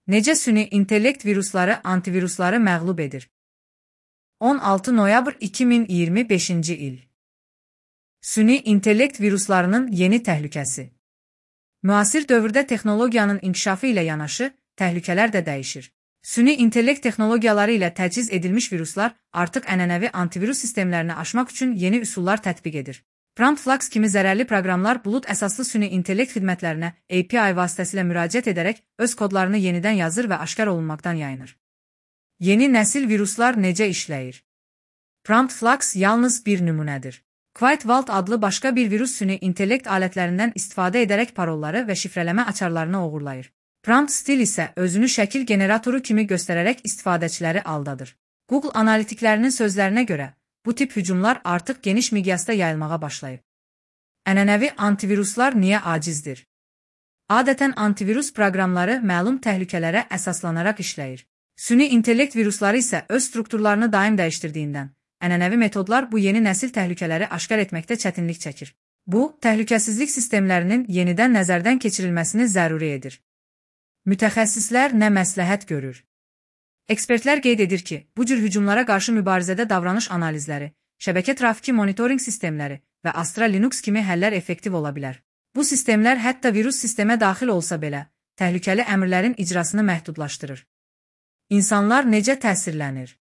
Necə süni intellekt virusları antivirusları məğlub edir? 16 noyabr 2025-ci il. Süni intellekt viruslarının yeni təhlükəsi. Müasir dövrdə texnologiyanın inkişafı ilə yanaşı, təhlükələr də dəyişir. Süni intellekt texnologiyaları ilə təchiz edilmiş viruslar artıq ənənəvi antivirus sistemlərini aşmaq üçün yeni üsullar tətbiq edir. PromptFlux kimi zərərli proqramlar bulut əsaslı süni intellekt xidmətlərinə API vasitəsilə müraciət edərək öz kodlarını yenidən yazır və aşkar olunmaqdan yayınır. Yeni nəsil viruslar necə işləyir? PromptFlux yalnız bir nümunədir. QuietVault adlı başqa bir virus süni intellekt alətlərindən istifadə edərək parolları və şifrələmə açarlarını oğurlayır. PromptSteel isə özünü şəkil generatoru kimi göstərərək istifadəçiləri aldadır. Google analitiklərinin sözlərinə görə, bu tip hücumlar artıq geniş miqyasda yayılmağa başlayıb. Ənənəvi antiviruslar niyə acizdir? Adətən antivirus proqramları məlum təhlükələrə əsaslanaraq işləyir. Süni intellekt virusları isə öz strukturlarını daim dəyişdirdiyindən, ənənəvi metodlar bu yeni nəsil təhlükələri aşkar etməkdə çətinlik çəkir. Bu, təhlükəsizlik sistemlərinin yenidən nəzərdən keçirilməsini zəruri edir. Mütəxəssislər nə məsləhət görür? Ekspertlər qeyd edir ki, bu cür hücumlara qarşı mübarizədə davranış analizləri, şəbəkə trafiki monitorinq sistemləri və Astra Linux kimi həllər effektiv ola bilər. Bu sistemlər hətta virus sistemə daxil olsa belə, təhlükəli əmrlərin icrasını məhdudlaşdırır. İnsanlar necə təsirlənir?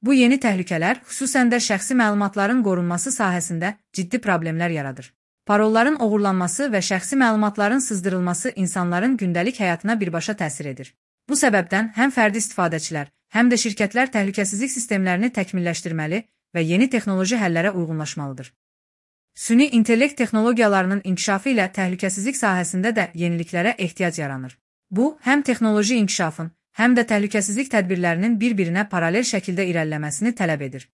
Bu yeni təhlükələr xüsusən də şəxsi məlumatların qorunması sahəsində ciddi problemlər yaradır. Parolların oğurlanması və şəxsi məlumatların sızdırılması insanların gündəlik həyatına birbaşa təsir edir. Bu səbəbdən həm fərdi istifadəçilər, həm də şirkətlər təhlükəsizlik sistemlərini təkmilləşdirməli və yeni texnoloji həllərə uyğunlaşmalıdır. Süni intellekt texnologiyalarının inkişafı ilə təhlükəsizlik sahəsində də yeniliklərə ehtiyac yaranır. Bu, həm texnoloji inkişafın, həm də təhlükəsizlik tədbirlərinin bir-birinə paralel şəkildə irəliləməsini tələb edir.